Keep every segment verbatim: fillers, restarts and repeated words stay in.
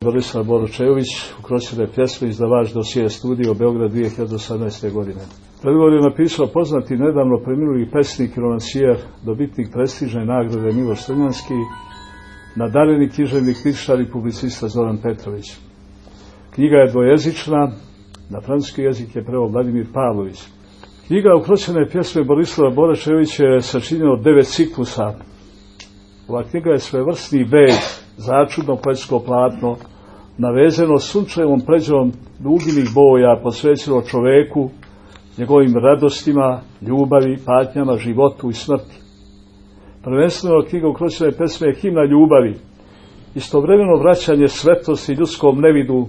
Borislav Boročević, Ukroćene pjesme, izdavač Dosije studio, Beograd, dvije hiljade osamnaeste. godine. Predgovor je napisao poznati nedavno preminuli pesnik i romansijer, dobitnik prestižne nagrade Miloš Crnjanski, nadareni književnik, kritičar i publicista Zoran Petrović. Knjiga je dvojezična, na francuski jezik je preveo Vladimir Pavlović. Knjiga Ukroćene pjesme Borislava Boročevića je sačinjena od devet ciklusa. Ova knjiga je svevrsni beg, začudno poetsko platno, navezeno sunčevom pređom duginih boja, posvećeno čoveku, njegovim radostima, ljubavi, patnjama, životu i smrti. Prvenstveno knjiga Ukroćene pjesme je himna ljubavi, istovremeno vraćanje svetlosti ljudskom nevidu,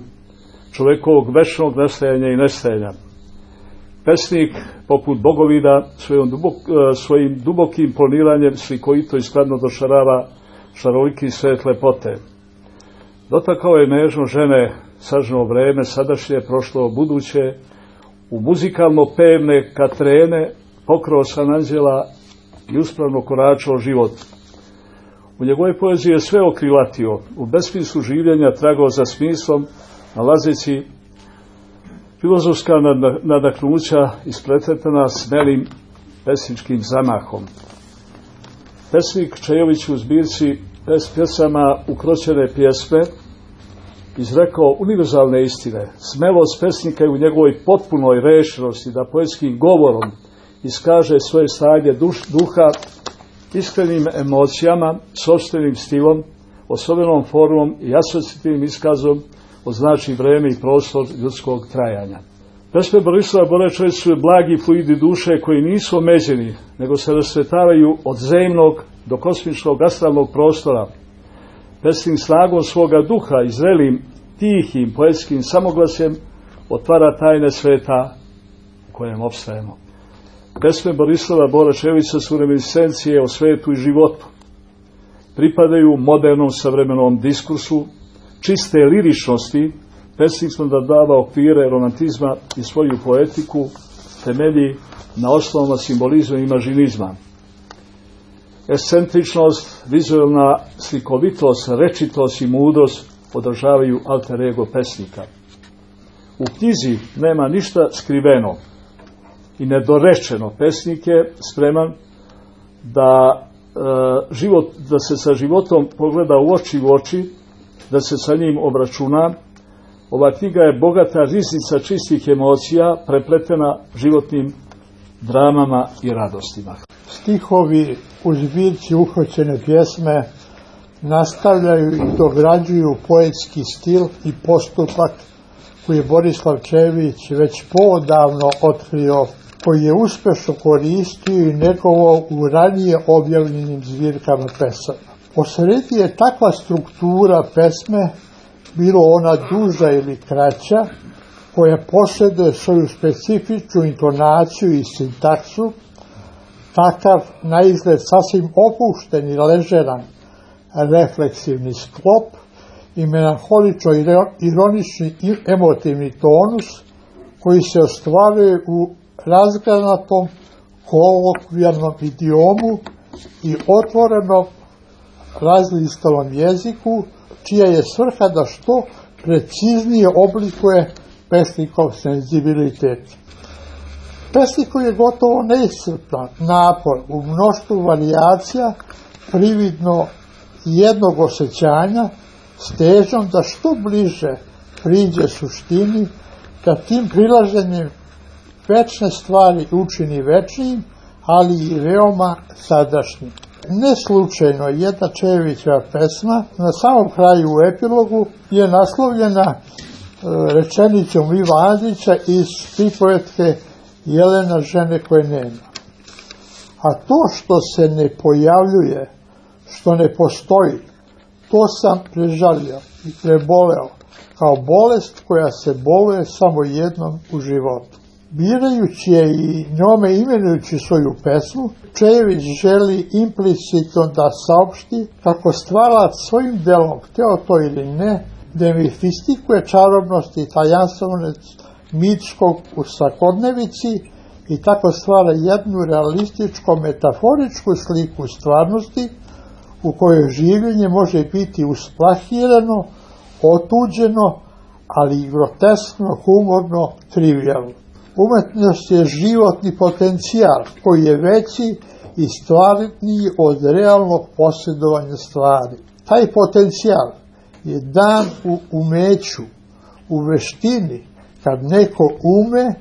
čovekovog večnog nastajanja i nestajanja. Pesnik, poput Bogovida, svojim, dubok, svojim dubokim planiranjem slikovito i skladno došarava šaroliki svet lepote. Dotakao je nežno žene, sažno vreme, sadašnje, prošlo, buduće, u muzikalno pevne katrene, pokrao san anđela i uspravno koračao život. U njegovoj poeziji je sve okrilatio, u besmislu življenja tragao za smislom, nalazeći filozofska nadahnuća ispletretana smelim pesničkim zamahom. Pesnik Čejović u zbirci pjesama Ukroćene pjesme izrekao univerzalne istine. Smelost pesnika je u njegovoj potpunoj rešenosti da poetskim govorom iskaže svoje stanje duš, duha, iskrenim emocijama, sopstvenim stilom, osobenom formom i asocijativnim iskazom označi vreme i prostor ljudskog trajanja. Pesme Borislava Boročevića su blagi fluidi duše koji nisu omeđeni, nego se rasvetavaju od zemnog do kosmičkog astralnog prostora. Pesnim snagom svoga duha i zrelim, tihim, poetskim samoglasjem otvara tajne sveta u kojem opstajemo. Pesme Borislava Boročevića su reminiscencije o svetu i životu. Pripadaju modernom savremenom diskursu, čiste liričnosti, pesnik sam da dava okvire romantizma i svoju poetiku temelji na osnovama simbolizma i imažinizma. Ekscentričnost, vizualna slikovitost, rečitost i mudrost održavaju alter ego pesnika. U knjizi nema ništa skriveno i nedorečeno. Pesnik je spreman da, e, život, da se sa životom pogleda u oči u oči, da se sa njim obračuna. Ova knjiga je bogata riznica čistih emocija, prepletena životnim dramama i radostima. Stihovi u zbirci Ukroćene pjesme nastavljaju i dograđuju poetski stil i postupak koji je Borislav Čejović već poodavno otkrio, koji je uspešno koristio i negovao u ranije objavljenim zbirkama pesama. Posredi je takva struktura pesme, bilo ona duža ili kraća, koja posjeduje svoju specifičnu intonaciju i sintaksu, takav na izgled sasvim opušten i ležeran refleksivni sklop i melanholično ironični i emotivni tonus koji se ostvaruje u razgranatom kolokvijalnom idiomu i otvorenom razlistavom jeziku, čija je svrha da što preciznije oblikuje pesnikov senzibilitet. Pesnikov je gotovo neiscrpan napor u mnoštvu varijacija, prividno jednog osjećanja, s težnjom da što bliže priđe suštini, da tim prilaženjem večne stvari učini večnim, ali i veoma sadašnjim. Ne slučajno jedna Čejovićeva pesma na samom kraju u epilogu je naslovljena rečenicom Iva Andrića iz pripovetke Jelena, žene koje nema. A to što se ne pojavljuje, što ne postoji, to sam prežalio i preboleo kao bolest koja se boluje samo jednom u životu. Birajući je i njome imenujući svoju pesmu, Čejović želi implicitno da saopšti kako stvarac svojim delom, hteo to ili ne, demifistikuje čarobnost i tajanstvenost mitskog u svakodnevici i tako stvara jednu realističko-metaforičku sliku stvarnosti u kojoj življenje može biti usplahirano, otuđeno, ali i groteskno, humorno, trivijalno. Umetnost je životni potencijal koji je veći i stvarniji od realnog posjedovanja stvari. Taj potencijal je dan u umeću, u veštini, kad neko ume,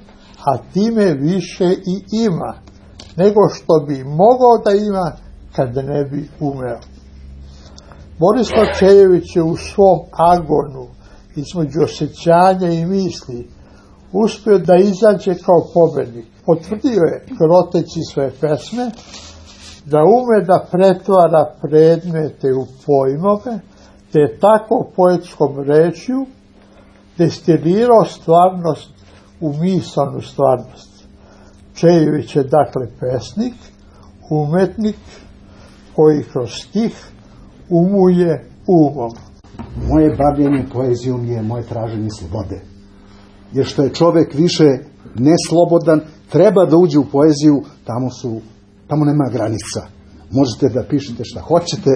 a time više i ima, nego što bi mogao da ima kad ne bi umeo. Borislav Čejević je u svom agonu između osjećanja i misli uspio da izađe kao pobednik. Potvrdio je, kroteći svoje pesme, da ume da pretvara predmete u pojmove, te je tako poetskom rečju destilirao stvarnost u misaonu stvarnost. Čejević je dakle pesnik, umetnik koji kroz stih umuje umom. Moje bavljenje poezijom je moje traženje slobode. Jer što je čovek više neslobodan, treba da uđe u poeziju, tamo su, tamo nema granica. Možete da pišete šta hoćete,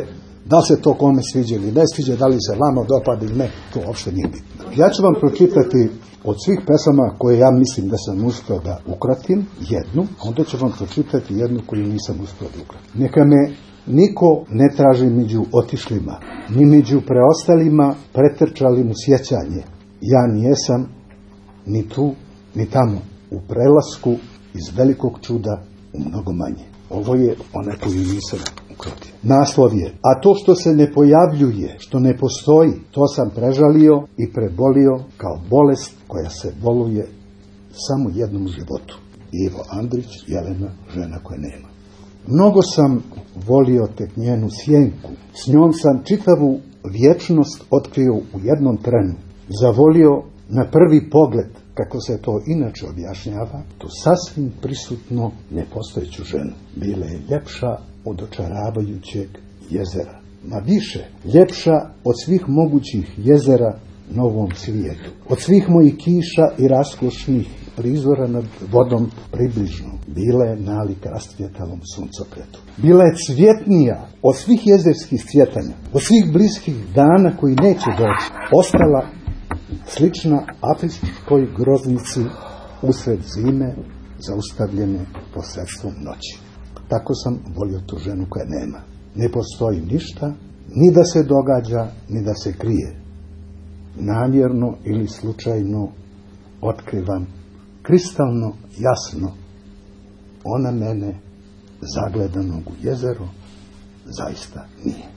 da li se to kome sviđa ili ne sviđa, da li se vama dopada ili ne, to uopšte nije bitno. Ja ću vam pročitati od svih pesama koje ja mislim da sam uspio da ukratim, jednu, a onda ću vam pročitati jednu koju nisam uspio da ukratim. Neka me niko ne traži među otišlima, ni među preostalima pretrčalim u sjećanje. Ja nijesam ni tu, ni tamo, u prelasku iz velikog čuda u mnogo manje. Ovo je ona koju nisam ukratio. Naslov je, a to što se ne pojavljuje, što ne postoji, to sam prežalio i prebolio kao bolest koja se boluje samo jednom u životu. Ivo Andrić, Jelena, žena koje nema. Mnogo sam volio tek njenu sjenku, s njom sam čitavu vječnost otkrio u jednom trenu. Zavolio na prvi pogled, kako se to inače objašnjava, to sasvim prisutno nepostojeću ženu. Bila je ljepša od očaravajućeg jezera. Ma više, ljepša od svih mogućih jezera na ovom svijetu. Od svih mojih kiša i raskošnih prizora nad vodom približno. Bila je nalik rastvjetalom suncokretu. Bila je cvjetnija od svih jezerskih cvjetanja, od svih bliskih dana koji neće doći. Ostala slična afričkoj groznici usred zime, zaustavljene posredstvom noći. Tako sam volio tu ženu koja nema. Ne postoji ništa, ni da se događa, ni da se krije. Namjerno ili slučajno otkrivam kristalno jasno, ona mene zagledanog u jezero zaista nije.